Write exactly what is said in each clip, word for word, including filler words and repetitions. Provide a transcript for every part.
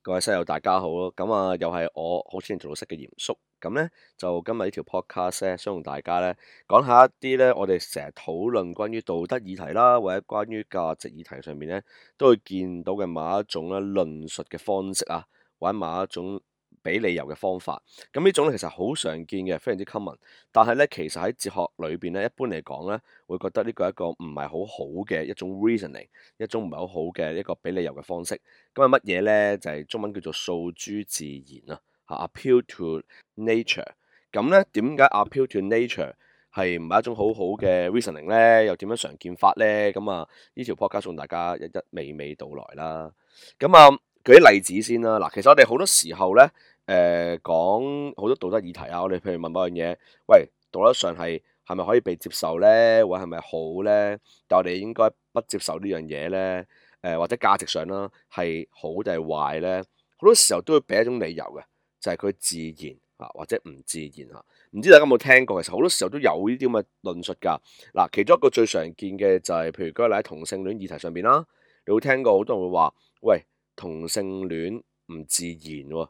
各位室友大家好咯，咁啊又係我好似做老師嘅嚴叔，咁咧就今日呢條 podcast 咧，想同大家咧講下一啲咧，我哋成日討論關於道德議題啦，或者關於價值議題上面咧，都會見到嘅某一種咧論述嘅方式啊，或者某一種俾理由嘅方法。咁呢種咧其實好常見嘅，非常之 common。但係咧，其實喺哲學裏邊咧，一般嚟講咧，會覺得呢個係一個唔係好好嘅一種 reasoning，一種唔係好好嘅一個俾理由嘅方式。咁係乜嘢咧？就係、是、中文叫做訴諸自然啊，嚇 appeal to nature。咁咧點解 appeal to nature 係唔係一種好好嘅 reasoning 咧？又點樣常見法咧？咁啊，呢條 podcast 送大家一一娓娓道來啦。咁啊，舉啲例子先啦。嗱，其實我哋好多時候咧，誒、呃、講好多道德議題啊。我哋譬如問某樣嘢，喂，道德上係係咪可以被接受咧？或係咪好咧？但我哋應該不接受呢樣嘢咧？誒、呃、或者價值上啦，係好定係壞咧？好多時候都會俾一種理由嘅，就係、是、佢自然啊，或者唔自然嚇。唔知大家有冇聽過？其實好多時候都有呢啲咁嘅論述㗎。嗱，其中一個最常見嘅就係、是，譬如舉個例喺同性戀議題上邊啦，你會聽過好多人會話，喂，同性戀唔自然喎，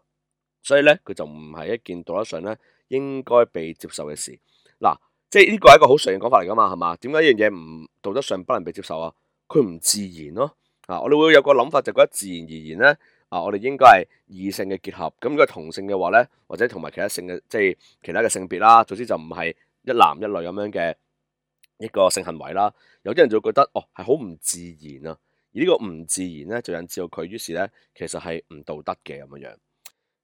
所以咧佢就唔係一件道德上咧應該被接受嘅事。嗱，即係呢個係一個好常見講法嚟㗎嘛，係嘛？點解呢樣嘢唔道德上不能被接受啊？佢唔自然咯。啊，我哋會有個諗法，就覺得自然而然咧，啊，我哋應該係異性嘅結合。咁如果係同性嘅話咧，或者同埋其他性嘅，即係其他嘅性別啦，總之就唔係一男一女咁樣嘅一個性行為啦。有啲人就會覺得，哦，係好唔自然啊。而呢個唔自然咧，就引致到佢於是咧，其實係唔道德嘅咁樣樣。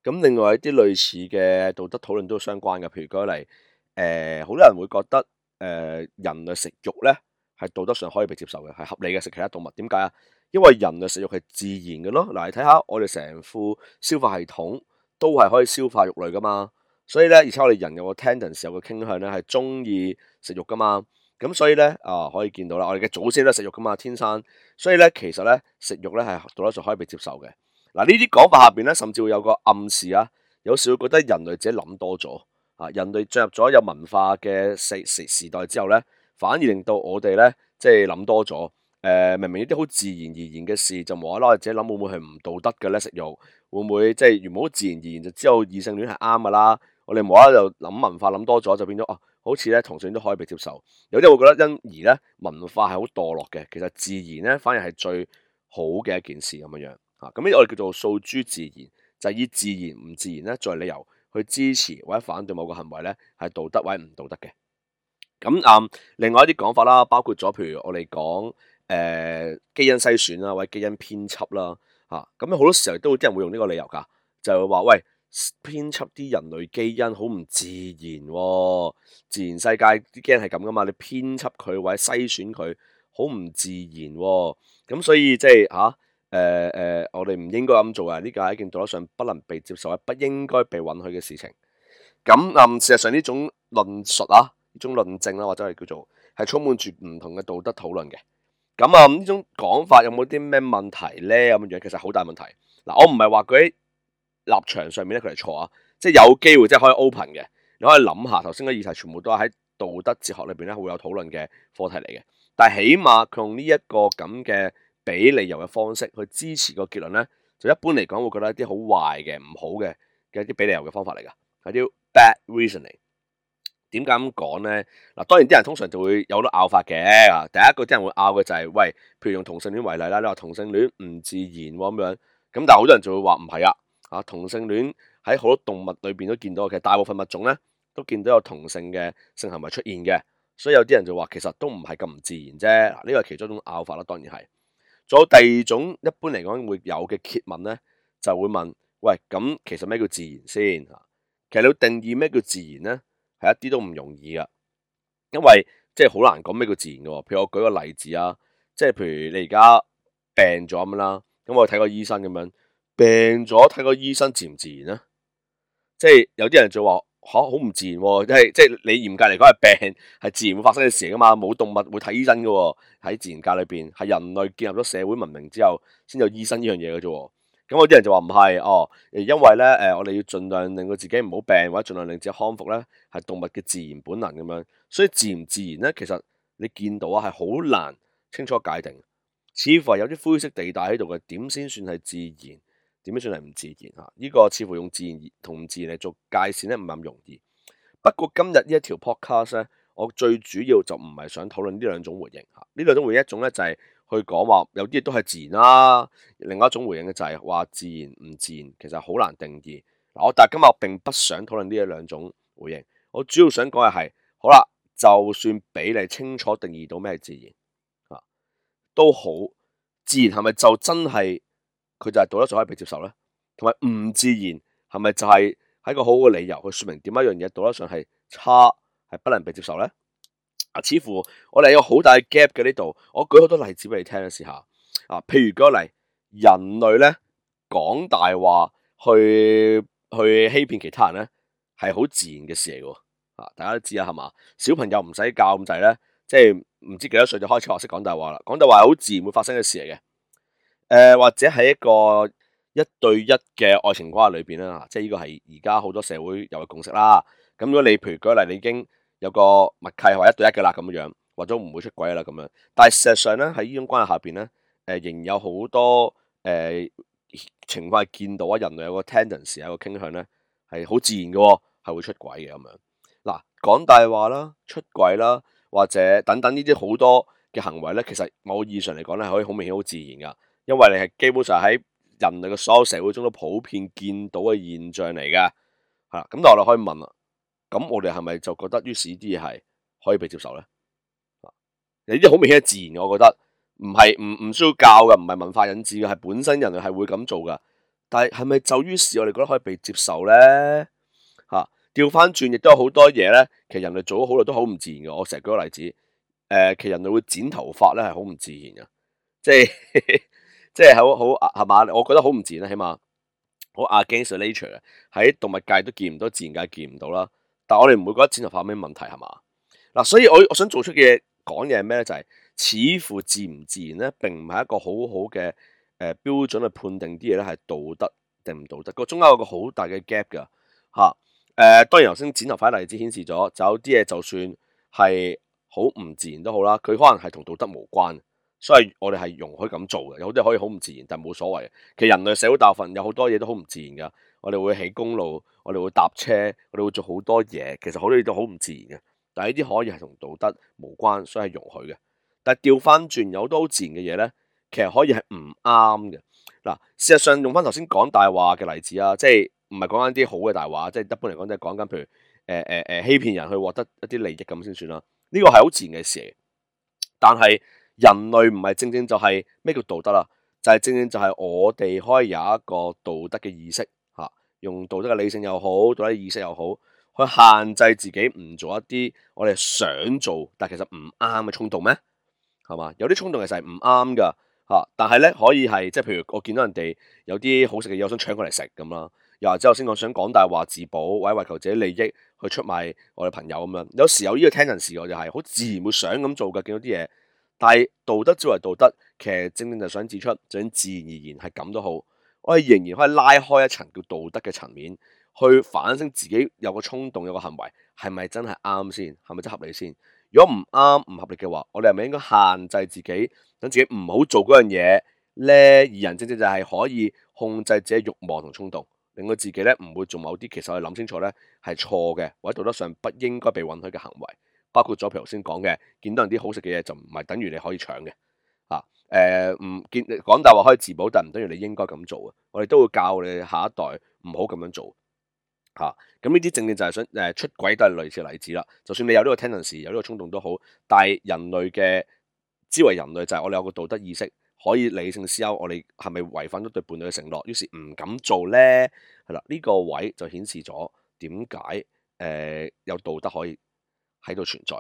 咁另外一啲類似嘅道德討論都相關嘅，譬如舉例，誒、呃，好多人會覺得，誒、呃，人類食肉咧係道德上可以被接受嘅，係合理嘅食其他動物。點解啊？因為人類食肉係自然嘅咯。嗱，你睇下我哋成副消化系統都係可以消化肉類噶嘛，所以咧，而且我哋人有個 tendency 有個傾向咧係中意食肉噶嘛。咁所以咧啊，可以見到啦，我哋嘅祖先都係食肉噶嘛，天生。所以咧，其實咧食肉咧係道德上可以被接受嘅。嗱，呢啲講法下邊咧，甚至會有個暗示啊，有時會覺得人類自己諗多咗啊，人類進入咗有文化嘅時時時代之後咧，反而令到我哋咧即係諗多咗。誒、呃，明明呢啲好自然而然嘅事，就無啦啦自己諗會唔會係唔道德嘅咧？食肉會唔會即係原本好自然而然就知道異性戀係啱噶啦？我哋無啦啦就諗文化諗多咗，就變咗哦、啊，好似咧同性戀都可以被接受。有啲會覺得因而咧文化係好墮落嘅，其實自然咧反而係最好嘅一件事咁樣樣。啊，咁呢個我哋叫做訴諸自然，就係、是、以自然唔自然咧作為理由去支持或者反對某個行為咧係道德或者唔道德嘅。咁啊、嗯，另外一啲講法啦，包括咗譬如我哋講誒基因篩選啦，或者基因編輯啦，嚇咁好多時候都有啲人會用呢個理由㗎，就係、是、話喂，編輯啲人類基因好唔自然喎、哦，自然世界啲基因係咁噶嘛，你編輯佢或者篩選佢好唔自然喎、哦，咁所以即係嚇。啊誒誒、呃呃，我哋唔應該咁做啊！呢個係一件道德上不能被接受、不應該被允許嘅事情。咁嗯，事實上呢種論述啊，呢種論證啦，或者係叫做係充滿住唔同嘅道德討論嘅。咁啊，呢、嗯、種講法有冇啲咩問題咧？咁樣其實好大問題。嗱，我唔係話佢喺立場上面咧佢係錯啊，即係有機會即係可以 open 嘅。你可以諗下頭先嘅議題，全部都係喺道德哲學裏邊咧會有討論嘅課題嚟嘅。但係起碼佢用呢一個咁嘅俾理由嘅方式去支持個結論咧，就一般嚟講會覺得一啲好壞嘅、唔好嘅嘅一啲俾理由嘅方法嚟㗎，係啲 bad reasoning。點解咁講咧？嗱，當然啲人通常就會有好多拗法嘅。啊，第一個啲人會拗嘅就係、是，喂，譬如用同性戀為例啦，你話同性戀唔自然喎咁樣，咁但係好多人就會話唔係啊，啊同性戀喺好多動物裏邊都見到，其實大部分物種咧都見到有同性嘅性行為出現嘅，所以有啲人就話其實都唔係咁唔自然啫。嗱，呢個係其中一種拗法啦，當然係。仲有第二種一般嚟講會有嘅詰問咧，就會問：喂，咁其實咩叫自然先？其實你要定義咩叫自然咧，係一啲都唔容易噶，因為即係好難講咩叫自然嘅。譬如我舉個例子啊，即係譬如你而家病咗咁啦，咁我睇個醫生咁樣，病咗睇個醫生自唔自然咧？即係有啲人就話吓，好唔自然喎，即係即係你嚴格嚟講係病係自然會發生嘅事噶嘛，冇動物會睇醫生噶喎，喺自然界裏邊係人類建立咗社會文明之後先有醫生呢樣嘢嘅啫。咁有啲人就話唔係哦，因為咧誒，我哋要盡量令到自己唔好病，或者盡量令自己康復咧，係動物嘅自然本能咁樣。所以自唔自然咧，其實你見到啊係好難清楚界定，似乎係有啲灰色地帶喺度嘅。點先算係自然？點樣算係唔自然嚇？呢、這個似乎用自然同唔自然嚟做界線咧，唔係咁容易。不過今日呢一條 podcast 咧，我最主要就唔係想討論呢兩種回應嚇。呢兩種回應一種咧就係去講話有啲嘢都係自然啦，另外一種回應嘅就係話自然唔自然其實好難定義。嗱，我但係今日我並不想討論呢一兩種回應，我主要想講嘅係，好啦，就算俾你清楚定義到咩係自然啊，都好，自然係咪就真係佢就係道德上可以被接受咧？同埋唔自然係咪就係喺個好好嘅理由去說明點解一樣嘢道德上係差，係不能被接受咧？啊，似乎我哋有好大嘅 gap 嘅呢度，我舉好多例子俾你聽啦，試下啊，譬如舉個例，人類咧講大話去去欺騙其他人咧，係好自然嘅事嚟嘅。啊，大家都知啦，係嘛？小朋友唔使教咁滯咧，即係唔知幾多歲就開始學識講大話啦。講大話係好自然會發生嘅事嚟嘅。誒、呃，或者喺一個一對一嘅愛情關係裏邊啦，即係呢個係而家好多社會有嘅共識啦。咁如果你譬如舉例，你已經有個默契係話一對一嘅啦，咁樣或者唔會出軌啦咁樣。但係事實上咧，喺呢種關係下邊咧，誒、呃、仍有好多誒、呃、情況係見到啊，人類有個 tendency 有個傾向咧，係好自然嘅，係會出軌嘅咁樣。嗱，講大話啦、出軌啦，或者等等呢啲好多嘅行為咧，其實某意義上嚟講咧，係可以好明顯好自然噶，因為你係基本上喺人類嘅所有社會中都普遍見到嘅現象嚟嘅，係啦。咁但係我哋可以問啦，咁我哋係咪就覺得於是呢啲嘢係可以被接受咧？呢啲好明顯係自然嘅，我覺得唔係唔唔需要教嘅，唔係文化引致嘅，係本身人類係會咁做噶。但係係咪就於是我哋覺得可以被接受咧？嚇！調翻轉亦都有好多嘢咧，其實人類做咗好耐都好唔自然嘅。我成日舉個例子，誒、呃，其實人類會剪頭髮咧係好唔自然嘅，即係即係好好係嘛？我覺得好唔自然啦，起碼好 against nature 嘅，喺動物界都見唔到，自然界見唔到啦。但係我哋唔會覺得剪頭髮有咩問題係嘛？嗱，所以我我想做出嘅嘢講嘢係咩咧？就係、是、似乎自唔自然咧，並唔係一個好好嘅誒標準去判定啲嘢咧係道德定唔道德，個中間有個好大嘅 gap 㗎嚇。誒、呃，當然頭先剪頭髮例子顯示咗，就有啲嘢就算係好唔自然都好啦，佢可能係同道德無關，所以我哋係容許咁做嘅。有啲可以好唔自然，但係冇所謂嘅。其實人類社會大部分有好多嘢都好唔自然噶，我哋會起公路，我哋會搭車，我哋會做好多嘢，其實好多嘢都好唔自然嘅。但係呢啲可以係同道德無關，所以係容許嘅。但係調翻轉有好多好自然嘅嘢咧，其實可以係唔啱嘅。嗱，事實上用翻頭先講大話嘅例子啊，即係。唔係講緊啲好嘅大話，即係一般嚟講，即係講緊譬如誒誒誒欺騙人去獲得一啲利益咁先算啦。呢個係好自然嘅事嚟。但係人類唔係正正就係咩叫道德啦？就係、是、正正就係我哋可以有一個道德嘅意識嚇、啊，用道德嘅理性又好，道德嘅意識又好，去限制自己唔做一啲我哋想做但其實唔啱嘅衝動咩？係嘛？有啲衝動其實係唔啱㗎嚇，但係咧可以係即係譬如我見到人哋有啲好食嘅嘢，我想搶過嚟食咁啦。又或者頭先我想講大話自保，或者為求自己利益去出賣我哋朋友咁樣，有時有呢個 tendency，我就係好自然會想咁做嘅，見到啲嘢。但係道德之為道德，其實正正就想指出，就算自然而然係咁都好，我哋仍然可以拉開一層叫道德嘅層面，去反省自己有個衝動，有個行為係咪真係啱先，係咪真合理先？如果唔啱唔合理嘅話，我哋係咪應該限制自己，等自己唔好做嗰樣嘢咧？而人正正就係可以控制自己慾望同衝動。令到自己咧唔會做某啲其實我哋諗清楚咧係錯嘅，或者道德上不應該被允許嘅行為，包括咗譬如頭先講嘅，見到人啲好食嘅嘢就唔係等於你可以搶嘅，啊誒唔見講大話可以自保，但唔等於你應該咁做啊！我哋都會教你下一代唔好咁樣做嚇。咁呢啲正正就係想誒出軌都係類似例子啦。就算你有呢個 tendency 有呢個衝動都好，但係人類嘅之為人類就係我哋有個道德意識。可以理性思考，我哋係咪違反咗對伴侶嘅承諾，於是唔敢做咧？係啦，呢、這個位就顯示咗點解誒有道德可以喺度存在。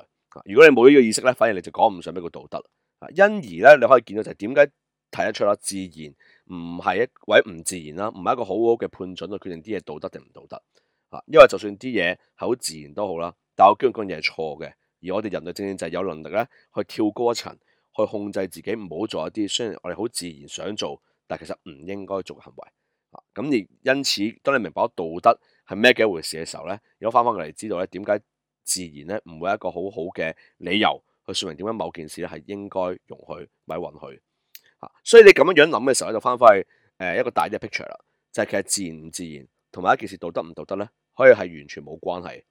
如果你冇呢個意識咧，反而你就講唔上咩叫道德。啊，因而咧，你可以見到就係點解睇得出啦，自然唔係一或者唔自然啦，唔係一個好好嘅判準去決定啲嘢道德定唔道德。啊，因為就算啲嘢係好自然都好啦，但我驚嗰樣嘢係錯嘅，而我哋人類正正就係有能力咧去跳高一層。去控制自己唔好做一啲雖然我哋好自然想做，但其實唔應該做嘅行為。啊，咁而因此，當你明白咗道德係咩嘅一回事嘅時候咧，如果翻返過嚟知道咧點解自然咧唔會係一個好好嘅理由去説明點解某件事咧係應該容許或者允許。啊，所以你咁樣樣諗嘅時候咧，就翻返去誒一個大啲嘅 picture 啦。就係、是、其實自然唔自然同埋一件事道德唔道德咧，可以係完全冇關係。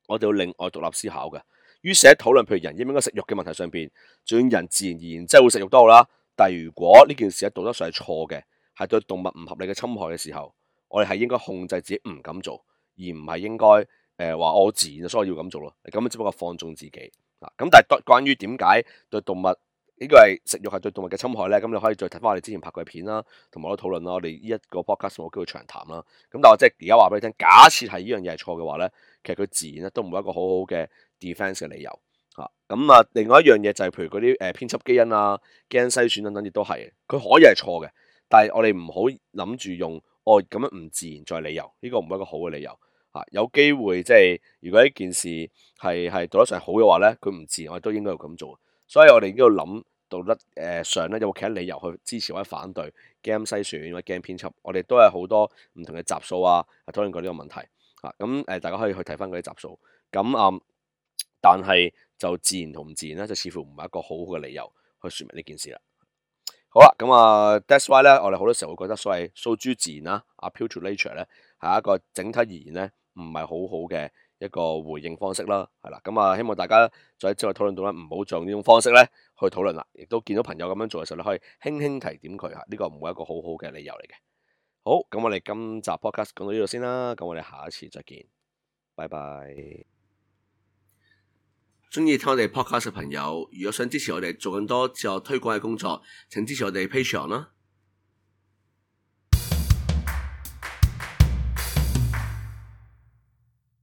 我哋要另外獨立思考嘅。於是喺討論譬如人應唔應該食肉嘅問題上邊，就算人自然而然即係會食肉都好啦。但係如果呢件事喺道德上係錯嘅，係對動物唔合理嘅侵害嘅時候，我哋係應該控制自己唔敢做，而唔係應該誒話我自然所以要咁做咯。咁只不過放縱自己啊。咁但係關於點解對動物呢個係食肉係對動物嘅侵害咧？咁你可以再睇翻我哋之前拍過嘅片啦，同埋我都討論啦。我哋呢一個 podcast 冇機會長談啦。咁但係我即係而家話俾你聽，假設係呢樣嘢係錯嘅話咧，其實佢自然咧都唔係一個好好嘅 defense 嘅理由嚇。咁啊，另外一樣嘢就係譬如嗰啲誒編輯基因啊、基因篩選等等，亦都係佢可以係錯嘅，但係我哋唔好諗住用哦咁樣唔自然作為理由，呢、這個唔係一個好嘅理由嚇、啊。有機會即係如果呢件事係係道德上好嘅話咧，佢唔自然我哋都應該要咁做。所以我哋應該要諗道德誒上咧有冇其他理由去支持或者反對基因篩選或者基因編輯。我哋都有好多唔同嘅集數啊，討論過呢個問題嚇。咁、啊、誒大家可以去睇翻嗰啲集數。咁啊、嗯，但係就自然同唔自然咧，就似乎唔係一個好好嘅理由去説明呢件事啦。好啦，咁啊，that's why 咧，我哋好多時候會覺得所謂訴諸自然啦，appeal to nature 咧，係一個整體而言咧，唔係好好嘅一個回應方式啦，係啦，咁啊，希望大家在之後討論到咧，唔好用呢種方式咧去討論啦，亦都見到朋友咁樣做嘅時候咧，可以輕輕提點佢嚇，呢個唔會一個好好嘅理由嚟嘅。好，咁我哋今集 podcast 講到呢度先啦，咁我哋下一次再見，拜拜。中意聽我哋 podcast 嘅朋友，如果想支持我哋做更多自我推廣嘅工作，請支持我哋 Patreon 啦。